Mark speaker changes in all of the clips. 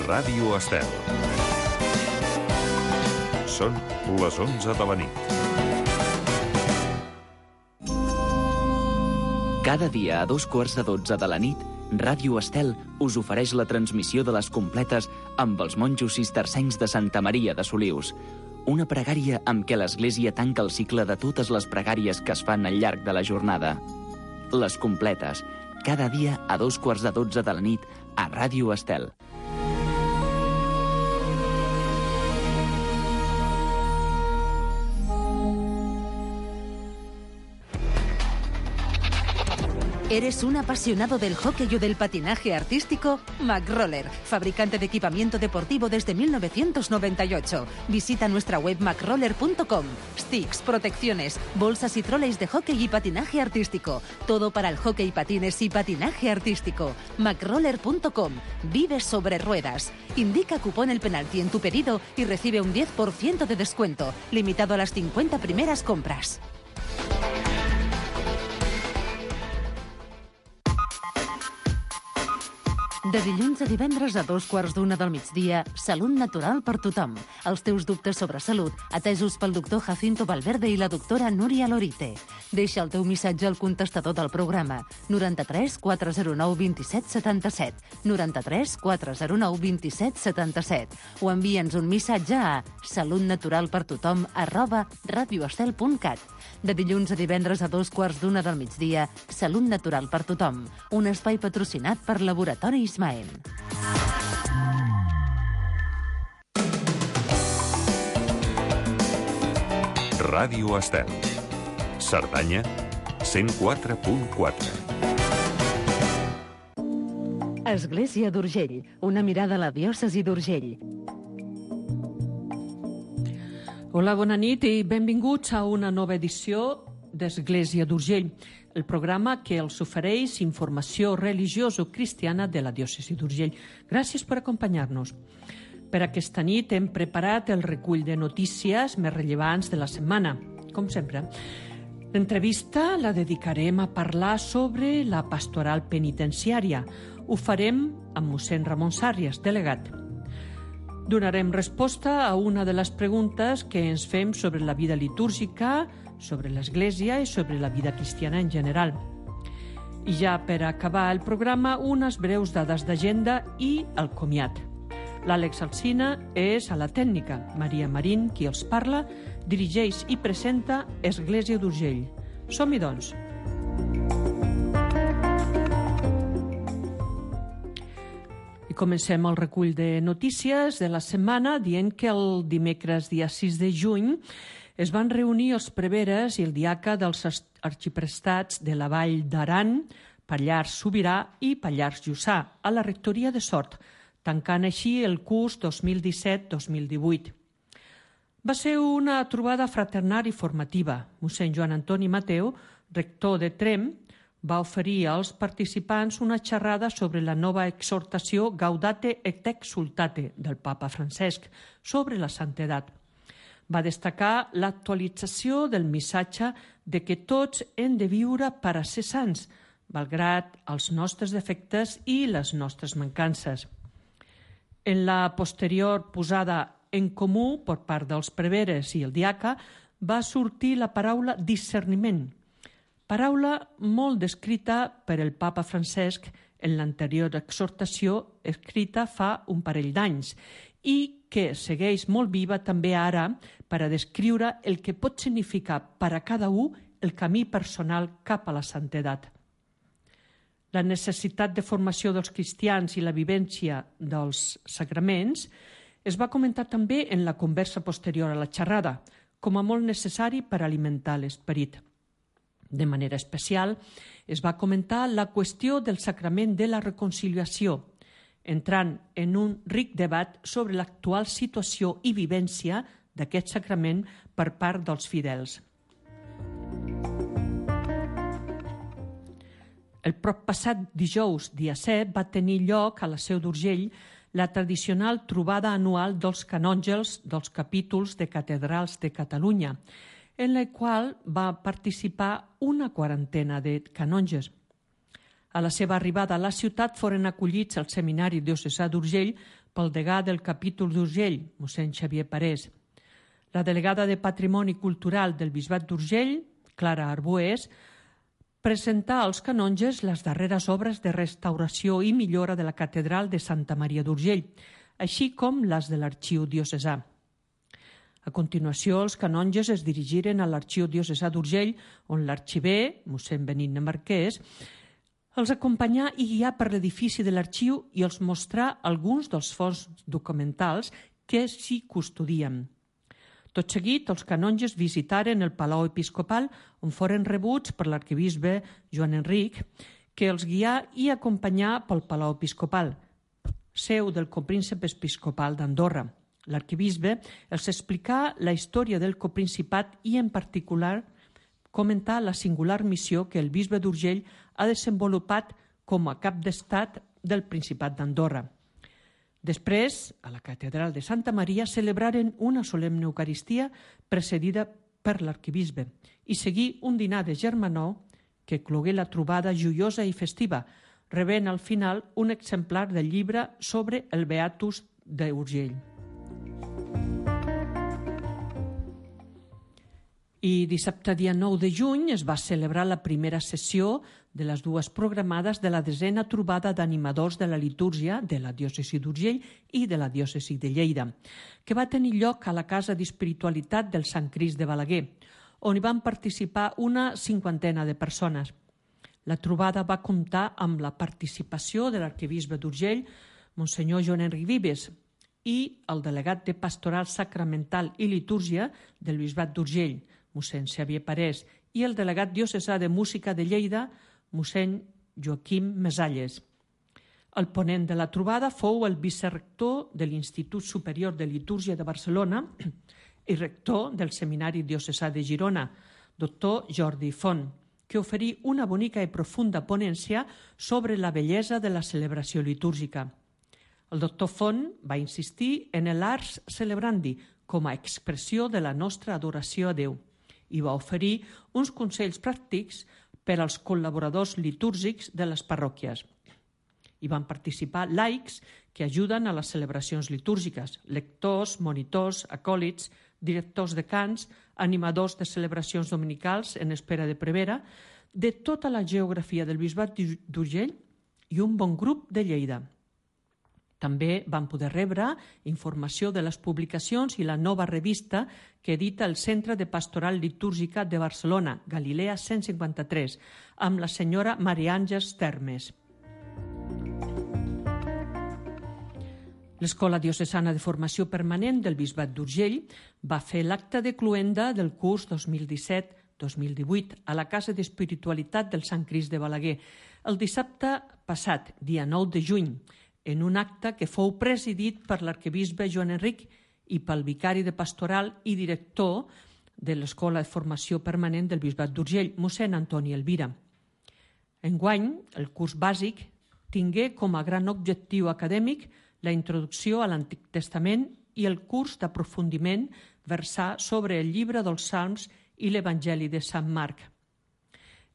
Speaker 1: Ràdio Estel. Són les 11 de la nit.
Speaker 2: Cada dia a 2:15 de la nit, Ràdio Estel us ofereix la transmissió de les completes amb els monjos cistercencs de Santa Maria de Solius. Una pregària amb què l'Església tanca el cicle de totes les pregàries que es fan al llarg de la jornada. Les completes, cada dia a 2:15 de la nit a Ràdio Estel.
Speaker 3: ¿Eres un apasionado del hockey o del patinaje artístico? McRoller, fabricante de equipamiento deportivo desde 1998. Visita nuestra web macroller.com. Sticks, protecciones, bolsas y troleys de hockey y patinaje artístico. Todo para el hockey, patines y patinaje artístico. macroller.com. Vive sobre ruedas. Indica cupón El Penalti en tu pedido y recibe un 10% de descuento, limitado a las 50 primeras compras. De dilluns a divendres a 2:15 del migdia, Salut Natural per tothom. Els teus dubtes sobre salut, atesos pel doctor Jacinto Valverde i la doctora Núria Lorite. Deixa el teu missatge al contestador del programa 93 409 27 77, 93 409 27 77, o envia'ns un missatge a salutnaturalpertothom@radioestel.cat. De dilluns a divendres a 2:15 del migdia, Salut Natural per tothom, un espai patrocinat per Laboratori Ismael.
Speaker 1: Ràdio Estel. Cerdanya, 104.4.
Speaker 3: Església d'Urgell, una mirada a la diòcesi d'Urgell.
Speaker 4: Hola, bona nit i benvinguts a una nova edició d'Església d'Urgell, el programa que els ofereix informació religioso-cristiana de la diòcesi d'Urgell. Gràcies per acompanyar-nos. Per aquesta nit hem preparat el recull de notícies més rellevants de la setmana, com sempre. L'entrevista la dedicarem a parlar sobre la pastoral penitenciària. Ho farem amb mossèn Ramon Sàrrias, delegat. Donarem resposta a una de les preguntes que ens fem sobre la vida litúrgica, sobre l'Església i sobre la vida cristiana en general. I ja per acabar el programa, unes breus dades d'agenda i el comiat. L'Àlex Alsina és a la tècnica. Maria Marín, qui els parla, dirigeix i presenta Església d'Urgell. Som-hi, doncs. I comencem el recull de notícies de la setmana dient que el dimecres dia 6 de juny es van reunir els preveres i el diaca dels arxiprestats de la Vall d'Aran, Pallars Sobirà i Pallars Jussà, a la rectoria de Sort, tancant així el curs 2017-2018. Va ser una trobada fraternal i formativa. Mossèn Joan Antoni Mateu, rector de Tremp, va oferir als participants una xerrada sobre la nova exhortació Gaudate et Exsultate del papa Francesc sobre la santedat. Va destacar l'actualització del missatge de que tots hem de viure per a ser sants, malgrat els nostres defectes i les nostres mancances. En la posterior posada en comú per part dels preveres i el diaca va sortir la paraula discerniment, paraula molt descrita per el papa Francesc en l'anterior exhortació escrita fa un parell d'anys i que segueix molt viva també ara per a descriure el que pot significar per a cada un el camí personal cap a la santedat. La necessitat de formació dels cristians i la vivència dels sagraments es va comentar també en la conversa posterior a la xerrada, com a molt necessari per alimentar l'esperit. De manera especial, es va comentar la qüestió del sacrament de la reconciliació, entrant en un ric debat sobre l'actual situació i vivència d'aquest sacrament per part dels fidels. El proppassat dijous, dia 7, va tenir lloc a la Seu d'Urgell la tradicional trobada anual dels canòngels dels capítols de catedrals de Catalunya, en la qual va participar una quarantena de canonges. A la seva arribada a la ciutat foren acollits al Seminari Diocesà d'Urgell pel degà del capítol d'Urgell, mossèn Xavier Parés. La delegada de Patrimoni Cultural del Bisbat d'Urgell, Clara Arbués, presentà als canonges les darreres obres de restauració i millora de la catedral de Santa Maria d'Urgell, així com les de l'arxiu diocesà. A continuació, els canonges es dirigiren a l'arxiu diocesà d'Urgell, on l'arxiver, mossèn Benigne Marquès, els acompanyà i guià per l'edifici de l'arxiu i els mostrà alguns dels fons documentals que s'hi custodien. Tot seguit, els canonges visitaren el Palau Episcopal, on foren rebuts per l'arquebisbe Joan Enric, que els guià i acompanyà pel Palau Episcopal, seu del copríncep episcopal d'Andorra. L'arquebisbe els explicà la història del coprincipat i, en particular, comentà la singular missió que el bisbe d'Urgell ha desenvolupat com a cap d'estat del Principat d'Andorra. Després, a la catedral de Santa Maria, celebraren una solemne Eucaristia precedida per l'arquebisbe i seguí un dinar de germanor que clogué la trobada joiosa i festiva, rebent al final un exemplar del llibre sobre el Beatus d'Urgell. I dissabte, dia 9 de juny, es va celebrar la primera sessió de les dues programades de la 10a trobada d'animadors de la litúrgia de la diòcesi d'Urgell i de la diòcesi de Lleida, que va tenir lloc a la Casa d'Espiritualitat del Sant Crist de Balaguer, on hi van participar una 50ena de persones. La trobada va comptar amb la participació de l'arquebisbe d'Urgell, Monsenyor Joan Enric Vives, i el delegat de Pastoral Sacramental i Litúrgia del Bisbat d'Urgell, mossèn Xavier Parés, i el delegat diocesà de Música de Lleida, mossèn Joaquim Mesalles. El ponent de la trobada fou el vicerrector de l'Institut Superior de Litúrgia de Barcelona i rector del Seminari Diocesà de Girona, doctor Jordi Font, que oferí una bonica i profunda ponència sobre la bellesa de la celebració litúrgica. El doctor Font va insistir en l'ars celebrandi com a expressió de la nostra adoració a Déu i va oferir uns consells pràctics per als col·laboradors litúrgics de les parròquies. Hi van participar laics que ajuden a les celebracions litúrgiques, lectors, monitors, acòlits, directors de cants, animadors de celebracions dominicals en espera de prevera, de tota la geografia del Bisbat d'Urgell i un bon grup de Lleida. També van poder rebre informació de les publicacions i la nova revista que edita el Centre de Pastoral Litúrgica de Barcelona, Galilea 153, amb la senyora Maria Àngels Termes. L'Escola Diocesana de Formació Permanent del Bisbat d'Urgell va fer l'acte de cloenda del curs 2017-2018 a la Casa d'Espiritualitat del Sant Crist de Balaguer, el dissabte passat, dia 9 de juny, en un acte que fou presidit per l'arquebisbe Joan Enric i pel vicari de pastoral i director de l'Escola de Formació Permanent del Bisbat d'Urgell, mossèn Antoni Elvira. Enguany, el curs bàsic tingué com a gran objectiu acadèmic la introducció a l'Antic Testament i el curs d'aprofundiment versar sobre el llibre dels Salms i l'Evangeli de Sant Marc.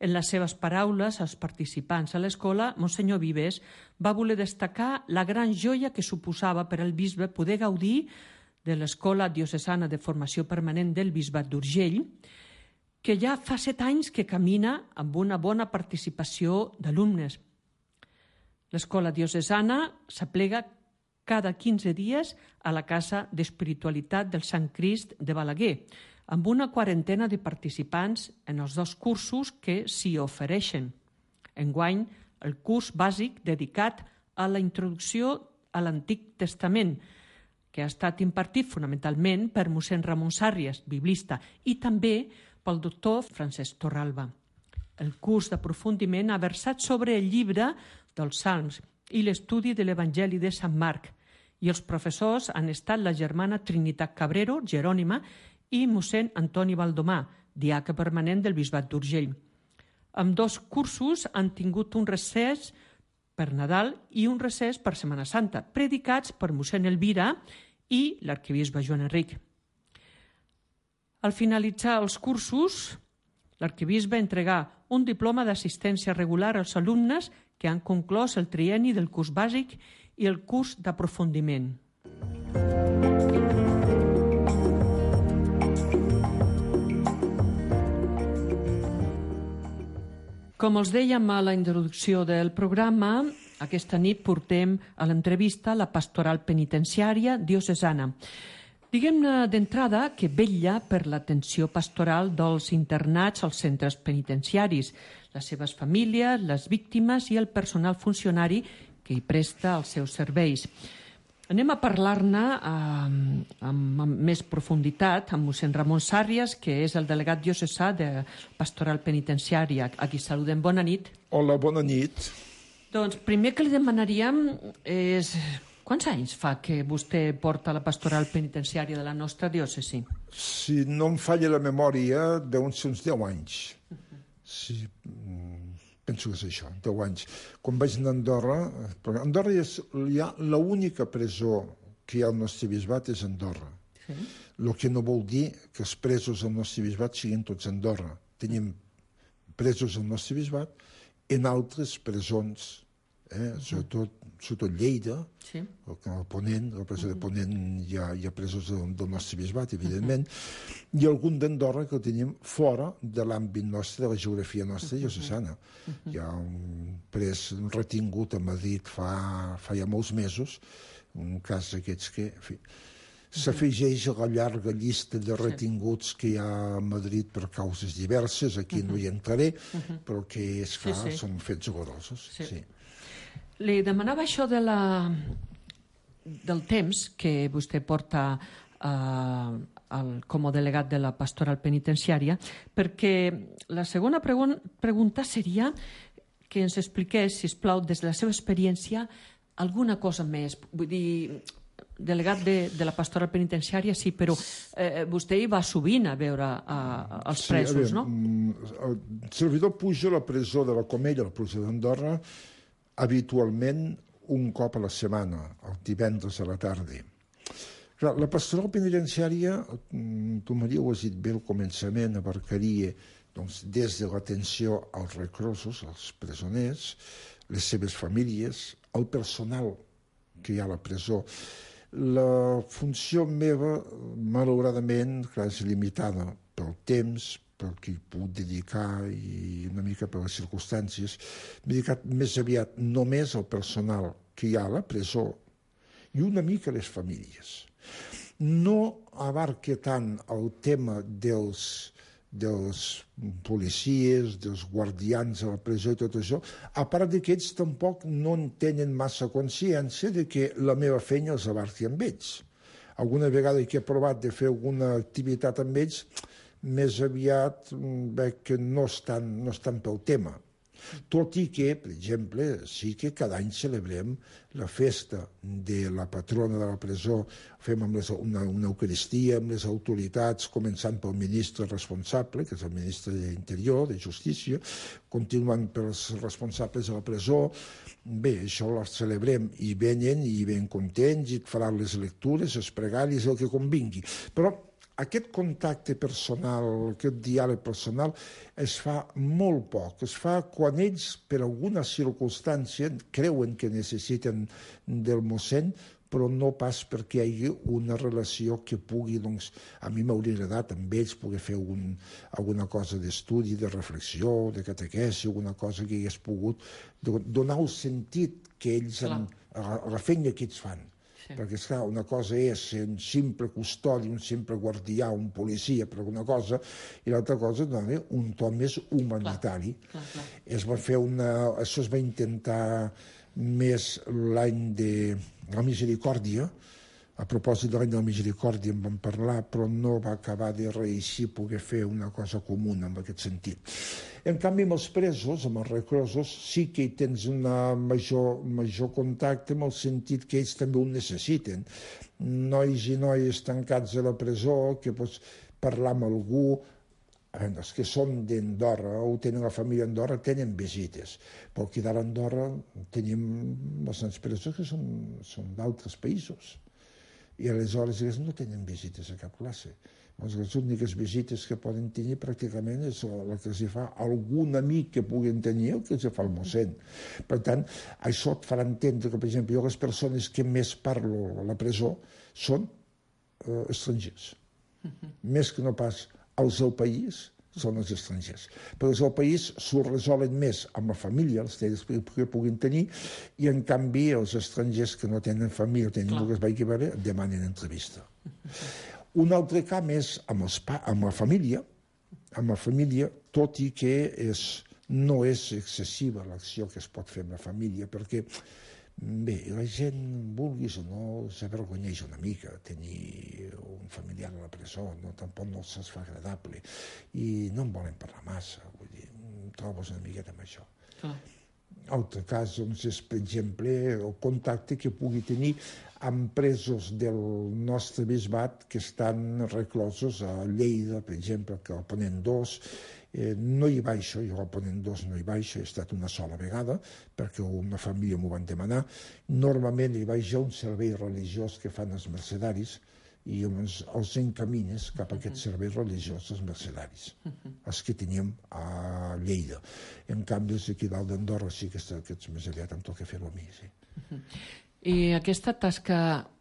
Speaker 4: En les seves paraules als participants a l'escola, Monsenyor Vives va voler destacar la gran joia que suposava per al bisbe poder gaudir de l'Escola Diocesana de Formació Permanent del Bisbat d'Urgell, que ja fa 7 anys que camina amb una bona participació d'alumnes. L'Escola Diocesana s'aplega cada 15 dies a la Casa d'Espiritualitat del Sant Crist de Balaguer, amb una 40ena de participants en els 2 cursos que s'hi ofereixen. Enguany, el curs bàsic dedicat a la introducció a l'Antic Testament, que ha estat impartit fonamentalment per mossèn Ramon Sàrries, biblista, i també pel doctor Francesc Torralba. El curs d'aprofundiment ha versat sobre el llibre dels Salms i l'estudi de l'Evangeli de Sant Marc, i els professors han estat la germana Trinitat Cabrero, Jerònima, i mossèn Antoni Baldomà, diaca permanent del Bisbat d'Urgell. Amb 2 cursos han tingut un recés per Nadal i un recés per Setmana Santa, predicats per mossèn Elvira i l'arquebisbe Joan Enric. Al finalitzar els cursos, l'arquebisbe entregà un diploma d'assistència regular als alumnes que han conclòs el trienni del curs bàsic i el curs d'aprofundiment. Com els dèiem a la introducció del programa, aquesta nit portem a l'entrevista la pastoral penitenciària diocesana. Diguem-ne d'entrada que vetlla per l'atenció pastoral dels internats als centres penitenciaris, les seves famílies, les víctimes i el personal funcionari que hi presta els seus serveis. Anem a parlar-ne amb més profunditat amb mossèn Ramon Sàrrias, que és el delegat diocesà de pastoral penitenciària. A qui saludem. Bona nit.
Speaker 5: Hola, bona nit.
Speaker 4: Doncs primer que li demanaríem és quants anys fa que vostè porta la pastoral penitenciària de la nostra diòcesi?
Speaker 5: Si no em falla la memòria, deuen ser uns 10 anys. Sí, penso que és això, 10 anys. Quan vaig anar a Andorra, perquè Andorra hi ha l'única presó que hi ha al nostre bisbat és Andorra. Sí. El que no vol dir que els presos al nostre bisbat siguin tots a Andorra. Tenim presos al nostre bisbat en altres presons, sobretot Lleida, sí. El Ponent, la presó de Ponent hi ha presos del nostre bisbat, evidentment, i algun d'Andorra que el tenim fora de l'àmbit nostre, de la geografia nostra diocesana. Hi ha un pres retingut a Madrid fa ja molts mesos, un cas d'aquests que, en fi, s'afegeix a la llarga llista de retinguts que hi ha a Madrid per causes diverses, aquí no hi entraré, però que es fa, són fets horrorosos. Sí.
Speaker 4: Li demanava això del temps que vostè porta com a delegat de la pastoral penitenciària, perquè la segona pregunta seria que ens expliqués, sisplau, des de la seva experiència, alguna cosa més. Vull dir, delegat de la pastoral penitenciària, sí, però vostè hi va sovint a veure els presos, no?
Speaker 5: El servidor puja a la presó de la Comella, la presó d'Andorra, habitualment un cop a la setmana, el divendres a la tarda. Clar, la pastoral penitenciària, tu, Maria, ho has dit bé al començament, abarcaria doncs, des de l'atenció als reclusos, als presoners, les seves famílies, el personal que hi ha a la presó. La funció meva, malauradament, clar, és limitada pel temps, pel que hi puc dedicar i una mica per les circumstàncies. M'he dedicat més aviat només al personal que hi ha a la presó i una mica a les famílies. No abarca tant el tema dels policies, dels guardians a la presó i tot això, a part que ells tampoc no en tenen massa consciència de que la meva feina els abarqui amb ells. Alguna vegada que he provat de fer alguna activitat amb ells, més aviat veig que no estan pel tema. Tot i que, per exemple, sí que cada any celebrem la festa de la patrona de la presó, fem una eucaristia amb les autoritats, començant pel ministre responsable, que és el ministre d'Interior, de Justícia, continuant pels responsables de la presó. Bé, això ho celebrem i venen i ben contents i et faran les lectures, els pregaris, el que convingui. Però aquest contacte personal, aquest diàleg personal, es fa molt poc. Es fa quan ells, per alguna circumstància, creuen que necessiten del mossèn, però no pas perquè hi hagi una relació que pugui, doncs, a mi m'hauria agradat amb ells poder fer alguna cosa d'estudi, de reflexió, de catequesi, alguna cosa que hagués pogut donar el sentit que ells, a la feina que ells fan. Perquè, esclar, una cosa és ser un simple custodi, un simple guardià, un policia per alguna cosa, i l'altra cosa és donar un to més humanitari. Clar. Això es va intentar més l'any de la misericòrdia. A propòsit de l'any de la misericòrdia en vam parlar, però no va acabar de reeixir poder fer una cosa comuna en aquest sentit. En canvi, amb els presos, amb els reclusos, sí que hi tens un major contacte en el sentit que ells també ho necessiten. Nois i noies tancats a la presó, que pots parlar amb algú, els que són d'Andorra o tenen la família d'Andorra tenen visites, però aquí d'ara a Andorra tenim bastants presos que són d'altres països. I aleshores no tenen visites a cap classe. Les úniques visites que poden tenir pràcticament és la que els fa algun amic que puguin tenir o que els fa el mossèn. Per tant, això et farà entendre que, per exemple, jo les persones que més parlo a la presó són estrangers. Més que no pas els del país, són els estrangers. Però els del país s'ho resolen més amb la família, els temps que puguin tenir, i en canvi els estrangers que no tenen família o tenen el que es vagi a veure, demanen entrevista. Un altre camp és amb la família, tot i que no és excessiva l'acció que es pot fer amb la família, perquè bé, la gent, vulguis o no, s'avergonyeix una mica tenir un familiar a la presó, tampoc no se'ls fa agradable, i no en volen parlar massa, vull dir, trobes una miqueta amb això. Altre cas, doncs, és, per exemple, el contacte que pugui tenir amb presos del nostre bisbat que estan reclosos a Lleida, per exemple, que al Ponent 2, no hi baixo, jo al Ponent 2 no hi baixo, he estat una sola vegada, perquè una família m'ho van demanar. Normalment hi vaig a un servei religiós que fan els mercedaris, i els encamines cap a aquest servei religiós dels mercedaris, els que teníem a Lleida. En canvi, els aquí dalt d'Andorra sí que aquests més aviat em toca fer-ho a mi, sí.
Speaker 4: I aquesta tasca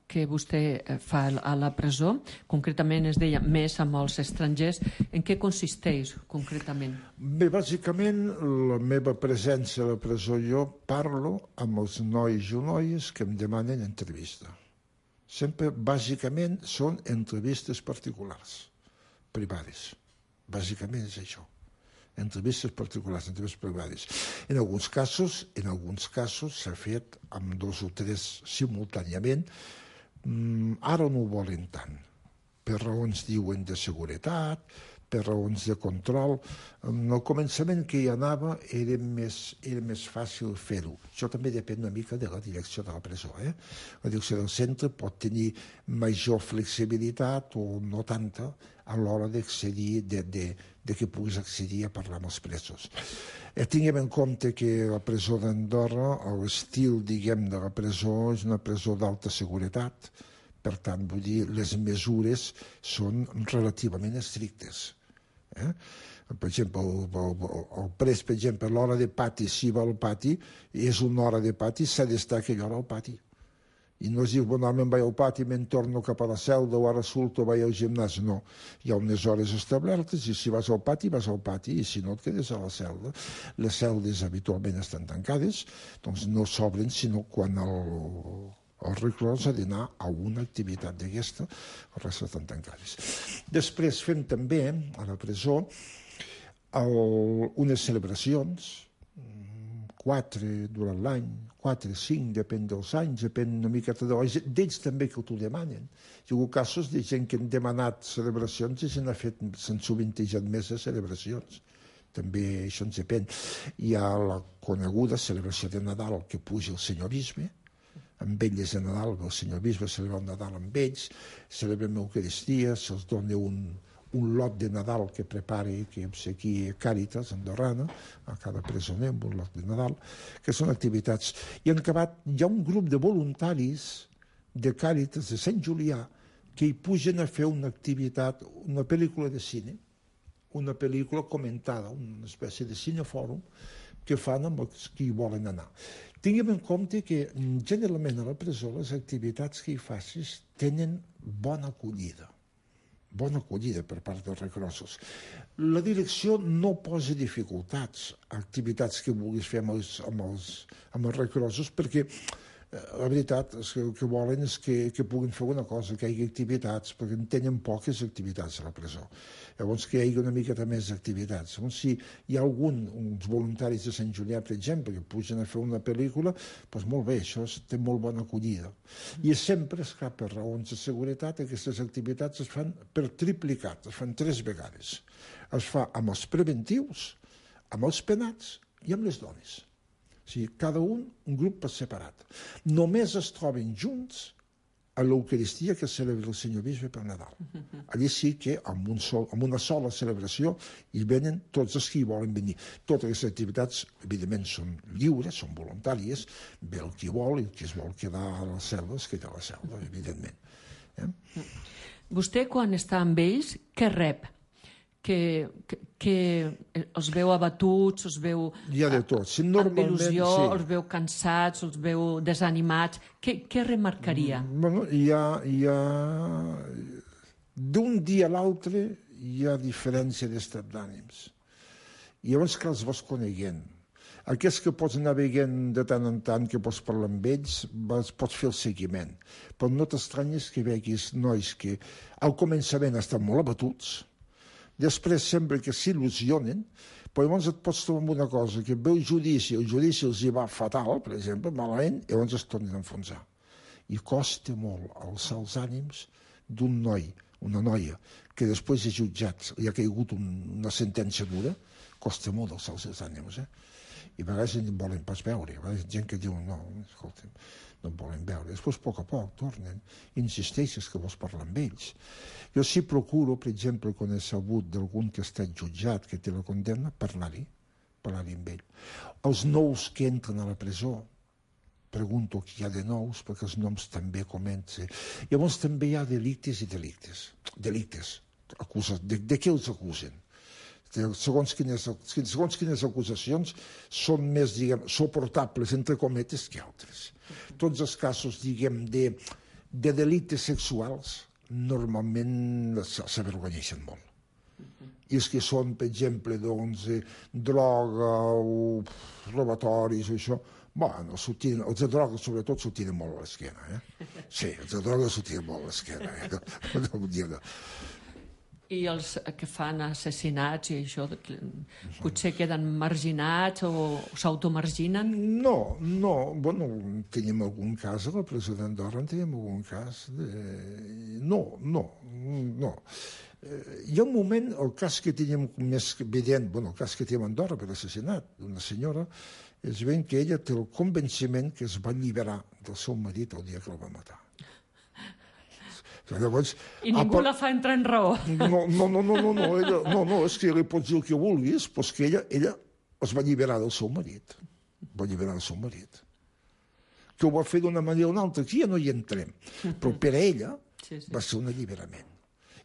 Speaker 4: que vostè fa a la presó, concretament es deia més amb els estrangers, en què consisteix concretament?
Speaker 5: Bé, bàsicament la meva presència a la presó, jo parlo amb els nois i noies que em demanen entrevista. Sempre, bàsicament, són entrevistes particulars, privades. Bàsicament és això. Entrevistes particulars, entrevistes privades. En alguns casos s'ha fet amb 2 o 3 simultàniament. Ara no ho volen tant, per raons, diuen, de seguretat, per raons de control. Al començament que hi anava era més fàcil fer-ho. Això també depèn una mica de la direcció de la presó. La direcció del centre pot tenir major flexibilitat o no tanta a l'hora d'accedir, de que puguis accedir a parlar amb els presos. Tinguem en compte que la presó d'Andorra, l'estil, diguem, de la presó és una presó d'alta seguretat. Per tant, vull dir, les mesures són relativament estrictes. Per exemple, el pres, per exemple, l'hora de pati, si va al pati, és una hora de pati, s'ha d'estar aquella hora al pati. I no es diu, normalment vaig al pati, me'n torno cap a la celda, o ara surto, vaig al gimnàs. No, hi ha unes hores establertes, i si vas al pati, i si no et quedes a la celda. Les celdes habitualment estan tancades, doncs no s'obren sinó quan el reclòs ha d'anar a una activitat d'aquesta, el rest estan tancades. Després fem també, a la presó, unes celebracions, 4 durant l'any, 4, 5, depèn dels anys, depèn una miqueta d'ells també que t'ho demanen. Hi ha hagut casos de gent que han demanat celebracions i s'han sovintejat més de celebracions. També això ens depèn. Hi ha la coneguda celebració de Nadal que puja el senyor bisbe, amb elles de Nadal, el senyor bisbe celebra el Nadal amb ells, celebrem l'Eucaristia, se'ls dona un lot de Nadal que prepara i que obsequia Càritas andorrana, a cada presoner amb un lot de Nadal, que són activitats. I en acabat hi ha un grup de voluntaris de Càritas de Sant Julià que hi pugen a fer una activitat, una pel·lícula de cine, una pel·lícula comentada, una espècie de cinefòrum que fan amb els que hi volen anar. Tinguem en compte que generalment a la presó les activitats que hi facis tenen bona acollida per part dels reclosos. La direcció no posa dificultats a activitats que vulguis fer amb els reclosos, perquè la veritat és que el que volen és que puguin fer una cosa, que hi hagi activitats, perquè en tenen poques activitats a la presó. Llavors que hi hagi una miqueta més d'activitats. Llavors, si hi ha uns voluntaris de Sant Julià, per exemple, que pugen a fer una pel·lícula, doncs molt bé, això té molt bona acollida. I sempre, esclar, per raons de seguretat, aquestes activitats es fan per triplicat, es fan 3 vegades. Es fa amb els preventius, amb els penats i amb les dones. O sigui, cada un grup per separat. Només es troben junts a l'Eucaristia que celebra el senyor bisbe per Nadal. Allí sí que amb una sola celebració hi venen tots els que hi volen venir. Totes les activitats, evidentment, són lliures, són voluntàries, ve el qui vol i el que es vol quedar a la selva es queda a la selva, evidentment.
Speaker 4: Vostè, quan està amb ells, què rep? Que els veu abatuts, els veu
Speaker 5: Hi ha de tot. Sí,
Speaker 4: amb il·lusió, els veu cansats, els veu desanimats. Què remarcaria?
Speaker 5: Bueno, hi ha... D'un dia a l'altre hi ha diferència d'estat d'ànims. I llavors que els vas coneguent. Aquests que pots anar veient de tant en tant, que pots parlar amb ells, pots fer el seguiment. Però no t'estranyes que veguis nois que al començament estan molt abatuts, després sempre que s'il·lusionen, però llavors et pots trobar amb una cosa, que veu judici, el judici els hi va fatal, per exemple, malament, i llavors es tornen a enfonsar. I costa molt alçar els ànims d'un noi, una noia, que després de jutjat li ha caigut una sentència dura, costa molt alçar els ànims, I a vegades no volen pas veure, a vegades hi ha gent que diu, no, escolta'm, no em volen veure. Després, a poc tornen, insisteixes que vols parlar amb ells. Jo sí procuro, per exemple, quan he sabut d'algun que ha estat jutjat, que té la condemna, parlar-hi amb ell. Els nous que entren a la presó, pregunto qui hi ha de nous, perquè els noms també comencen. Llavors també hi ha delictes i delictes. Delictes. De què els acusen? Segons quines acusacions són més, diguem, suportables, entre cometes, que altres. Tots els casos, diguem, de delictes sexuals, normalment s'avergonyeixen molt. I els que són, per exemple, doncs, droga o robatoris o això, bueno, els de droga sobretot s'ho tiren molt a l'esquena, Sí, els de droga s'ho tiren molt a l'esquena,
Speaker 4: I els que fan assassinats i això, potser queden marginats o s'automarginen?
Speaker 5: No, bueno, tenim algun cas a la presó d'Andorra, tenim algun cas No. Hi ha un moment, el cas que tenim més evident, el cas que tenim a Andorra per assassinat d'una senyora, és ben que ella té el convenciment que es va alliberar del seu marit el dia que el va matar. Llavors,
Speaker 4: I ningú la fa entrar en raó.
Speaker 5: No, és que li pots dir el que vulguis, però és que ella es va alliberar del seu marit. Que ho va fer d'una manera o una altra, aquí ja no hi entrem. Però per a ella va ser un alliberament.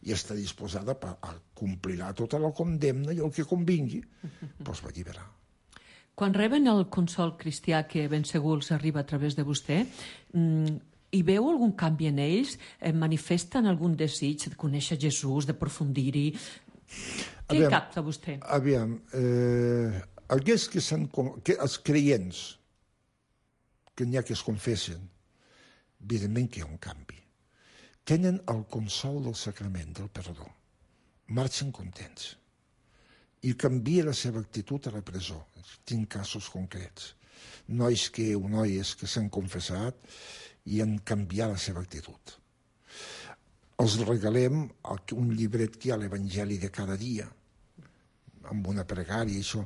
Speaker 5: I està disposada a complir tota la condemna i el que convingui, però es va alliberar.
Speaker 4: Quan reben el consol cristià que ben segur els arriba a través de vostè, hi veu algun canvi en ells? Manifesten algun desig de conèixer Jesús, de aprofundir-hi? Què capta vostè?
Speaker 5: Aviam, els creients, que n'hi ha que es confessen, evidentment que hi ha un canvi. Tenen el consol del sacrament, del perdó. Marxen contents. I canvia la seva actitud a la presó. Tinc casos concrets. Noies que s'han confessat i han canviat la seva actitud. Els regalem un llibret que hi ha a l'Evangeli de cada dia, amb una pregària, això,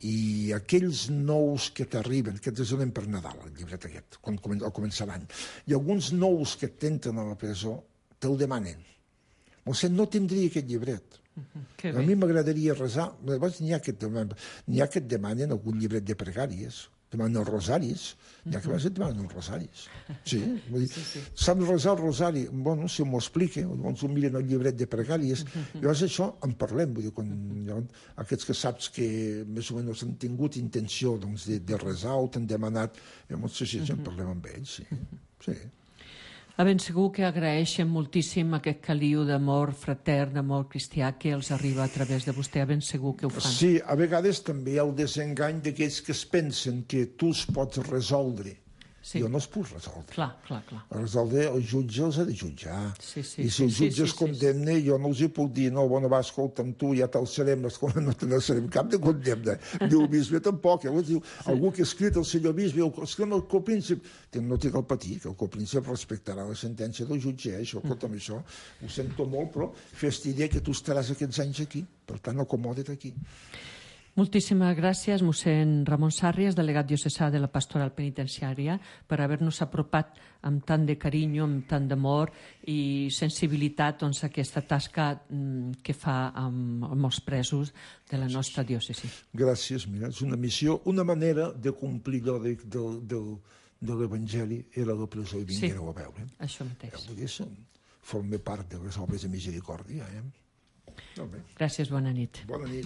Speaker 5: i aquells nous que t'arriben, que ens donen per Nadal, el llibret aquest, al començar l'any, i alguns nous que t'entren a la presó te'l demanen. No tindria aquest llibret. A mi m'agradaria resar. N'hi ha que et demanen algun llibret de pregàries, demanen els rosaris, n'hi ha que et demanen els rosaris. Sí, saps resar el rosari? Bueno, si m'ho explica, doncs ho miren el llibret de pregàries. Llavors això en parlem, vull dir, aquests que saps que més o menys han tingut intenció de resar o t'han demanat, llavors sí, en parlem amb ells, sí.
Speaker 4: Ben segur que agraeixen moltíssim aquest caliu d'amor fratern, d'amor cristià que els arriba a través de vostè, ben segur que ho fan.
Speaker 5: Sí, a vegades també hi ha el desengany d'aquells que es pensen que tu els pots resoldre. Jo no els puc resoldre.
Speaker 4: Clar.
Speaker 5: Resoldre, el jutge els ha de jutjar. I si el jutge es condemna, jo no els hi puc dir, no, bueno, va, escolta'm, tu ja t'alçarem, no te n'alçarem cap de condemna. Diu el bisbe tampoc. Llavors diu, algú que ha escrit el senyor bisbe, el copríncip, no té cal patir, que el copríncip respectarà la sentència del jutge. Això, escolta'm, això ho sento molt, però fes-te idea que tu estaràs aquests anys aquí. Per tant, acomoda't aquí.
Speaker 4: Moltíssimes gràcies, mossèn Ramon Sàrries, delegat diocesà de la Pastoral Penitenciària, per haver-nos apropat amb tant de carinyo, amb tant d'amor i sensibilitat a aquesta tasca que fa amb els presos de la nostra diòcesi.
Speaker 5: Gràcies, mira, és una missió, una manera de complir allò de l'Evangeli, era la presó i vinguéreu a veure.
Speaker 4: Això mateix.
Speaker 5: forma part de les obres de misericòrdia.
Speaker 4: Gràcies, bona nit.
Speaker 5: Bona nit.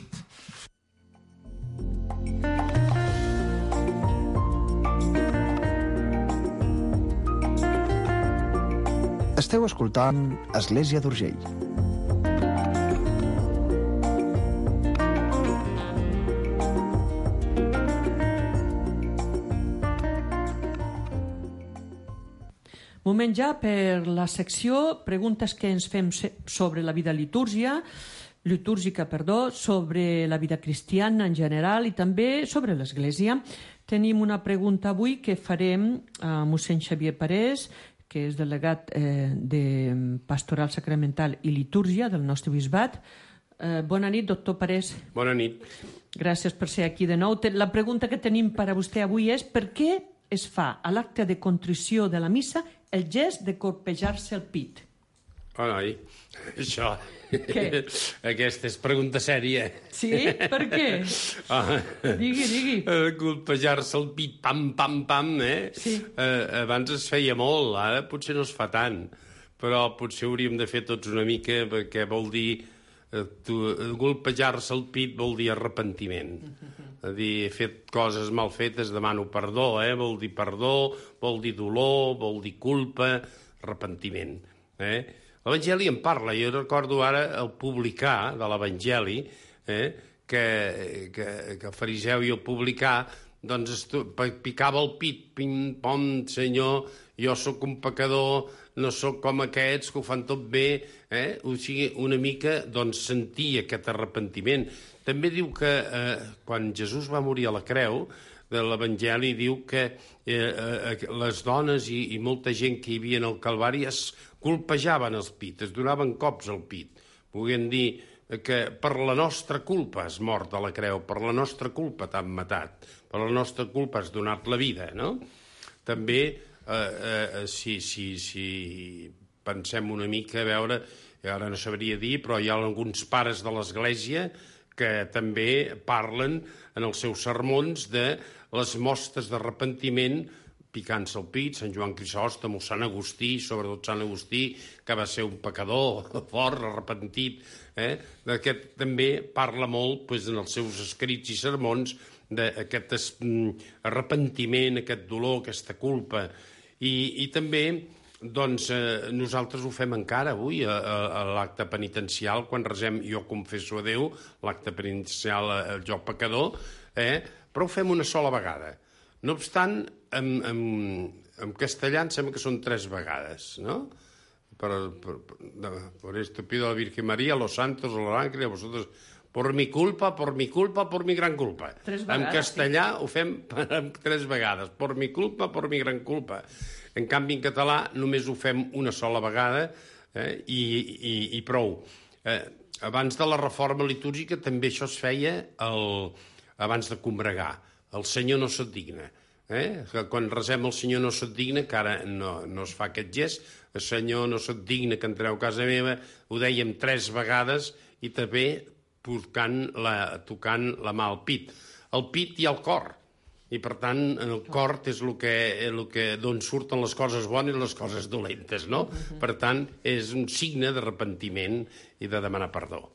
Speaker 6: Esteu escoltant Església d'Urgell.
Speaker 4: Moment ja per la secció preguntes que ens fem sobre la vida litúrgica, sobre la vida cristiana en general i també sobre l'Església. Tenim una pregunta avui que farem a mossèn Xavier Parés, que és delegat de Pastoral Sacramental i Litúrgia del nostre bisbat. Bona nit, doctor Parés.
Speaker 7: Bona nit.
Speaker 4: Gràcies per ser aquí de nou. La pregunta que tenim per a vostè avui és per què es fa a l'acte de contrició de la missa el gest de colpejar-se el pit?
Speaker 7: Oh, noi, això...
Speaker 4: Què?
Speaker 7: Aquesta és pregunta sèria.
Speaker 4: Sí? Per què? Digui.
Speaker 7: Colpejar-se el pit, pam, pam, pam,
Speaker 4: Sí.
Speaker 7: Abans es feia molt, ara potser no es fa tant, però potser hauríem de fer tots una mica, perquè vol dir... Colpejar-se el pit vol dir arrepentiment. És a dir, he fet coses mal fetes, demano perdó, vol dir perdó, vol dir dolor, vol dir culpa, arrepentiment. L'Evangeli en parla. Jo recordo ara el publicà de l'Evangeli, que el fariseu i el publicà doncs picava el pit, pim, pom, senyor, jo sóc un pecador, no sóc com aquests que ho fan tot bé, o sigui, una mica doncs sentir aquest arrepentiment. També diu que quan Jesús va morir a la creu, de l'Evangeli diu que les dones i molta gent que hi havia al Calvari es colpejaven el pit, es donaven cops al pit. Volien dir que per la nostra culpa has mort a la creu, per la nostra culpa t'han matat, per la nostra culpa has donat la vida, no? També, si pensem una mica, a veure, ara no sabria dir, però hi ha alguns pares de l'Església que també parlen en els seus sermons de les mostres d'arrepentiment picant-se el pit, Sant Joan Crisòstom o Sant Agustí, sobretot Sant Agustí, que va ser un pecador fort, arrepentit. D'aquest també parla molt en els seus escrits i sermons d'aquest arrepentiment, aquest dolor, aquesta culpa. I també doncs, nosaltres ho fem encara avui a l'acte penitencial, quan resem Jo confesso a Déu, l'acte penitencial Jo pecador, però ho fem una sola vegada. No obstant, en castellà em sembla que són 3 vegades, no? Por esto pido a la Virgen María, a los santos, a los ángeles, a vosotros, por mi culpa, por mi culpa, por mi gran culpa.
Speaker 4: 3 vegades,
Speaker 7: en castellà ho fem 3 vegades, por mi culpa, por mi gran culpa. En canvi, en català només ho fem una sola vegada i prou. Abans de la reforma litúrgica també això es feia abans de combregar. El Senyor no se't digna. Quan resem el Senyor no se't digna, que ara no es fa aquest gest, el Senyor no se't digna que entreu a casa meva, ho dèiem 3 vegades i també tocant la mà al pit. El pit i el cor. I, per tant, en el cor és d'on surten les coses bones i les coses dolentes, no? Per tant, és un signe d'arrepentiment i de demanar perdó.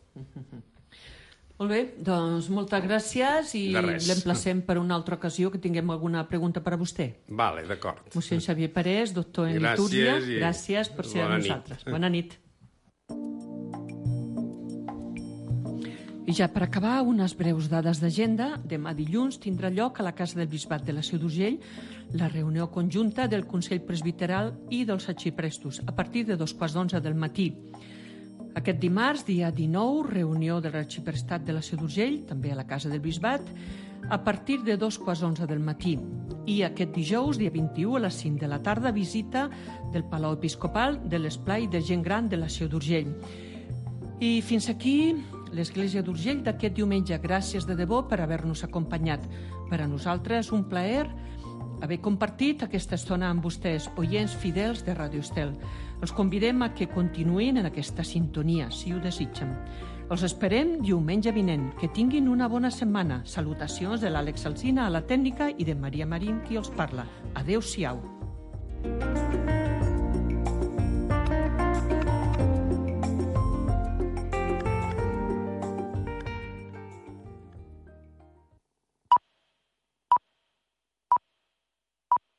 Speaker 4: Molt bé, doncs moltes gràcies i l'emplacem per una altra ocasió que tinguem alguna pregunta per a vostè.
Speaker 7: Vale, d'acord.
Speaker 4: Mossèn Xavier Parés, doctor en litúrgia, gràcies per ser amb nosaltres. Bona nit. I ja per acabar, unes breus dades d'agenda. Demà dilluns tindrà lloc a la Casa del Bisbat de la Seu d'Urgell la reunió conjunta del Consell Presbiteral i dels arxiprestos a partir de 2:15 del matí. Aquest dimarts, dia 19, reunió de l'arxiprestat de la Seu d'Urgell, també a la Casa del Bisbat, a partir de 2:11 del matí. I aquest dijous, dia 21, a les 5 de la tarda, visita del Palau Episcopal de l'Esplai de Gent Gran de la Seu d'Urgell. I fins aquí l'Església d'Urgell d'aquest diumenge. Gràcies de debò per haver-nos acompanyat. Per a nosaltres un plaer haver compartit aquesta estona amb vostès, oients fidels de Ràdio Estel. Els convidem a que continuïn en aquesta sintonia, si ho desitgen. Els esperem diumenge vinent. Que tinguin una bona setmana. Salutacions de l'Àlex Alsina a la tècnica i de Maria Marín, qui els parla. Adéu-siau.